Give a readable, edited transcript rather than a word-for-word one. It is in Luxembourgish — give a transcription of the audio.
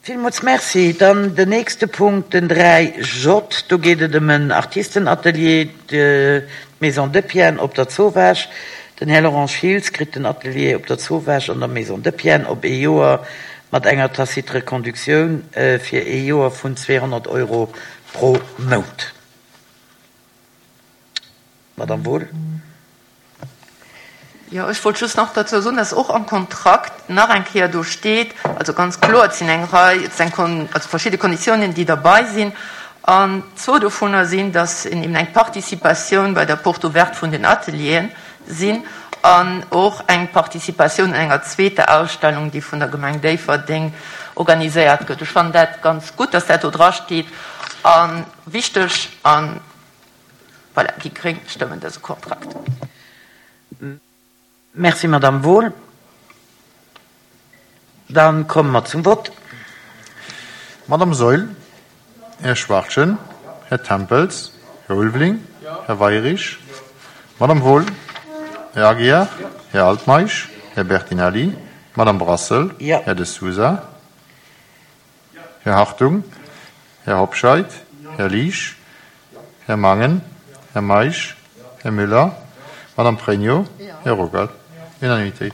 Villmools Merci. Dann den nächste Punkt, den 3J. Do geet et ëm en Artistenatelier, d'Maison Depienne op der Zowaasch. Den Här Laurent Schiltz kritt den Atelier op der Zowaasch an der Maison Depienne op ee Joer mat enger tacite Reconductioun fir ee Joer vun 200 Euro pro Mount. Madame Wohl. Jo, ech wollt just nach dozou soen, dass och am Kontrakt nach eng Kéier do steet, also ganz kloer, et sinn eng Rei, et sinn also verschidde Konditiounen, déi derbei sinn, an zwou dovunner sinn, dass een eben eng Participatioun bei der Porte ouverte vun den Atelieren sinn an och eng Participatioun un enger zweeter Ausstellung, déi vun der Gemeng Déifferdeng organiséiert gëtt. Ech fannen dat ganz gutt, dass dat do drasteet a wichteg. A voilà, déi gréng stëmmen dëse Kontrakt. Merci, Madame Wohl. Da komme mer zum Vott. Madame Saeul, Här Schwachtgen, Här Tempels, Här Ulveling, Här Weirich, Madame Wohl, Här Aguiar, Här Altmeisch, Här Bertinelli, Madame Brassel, Här De Sousa, Här Hartung, Här Hobscheit, Här Liesch, Här Mangen, Här Meisch, Här Müller, Madame Pregno, Här Ruckert. Unanimitéit.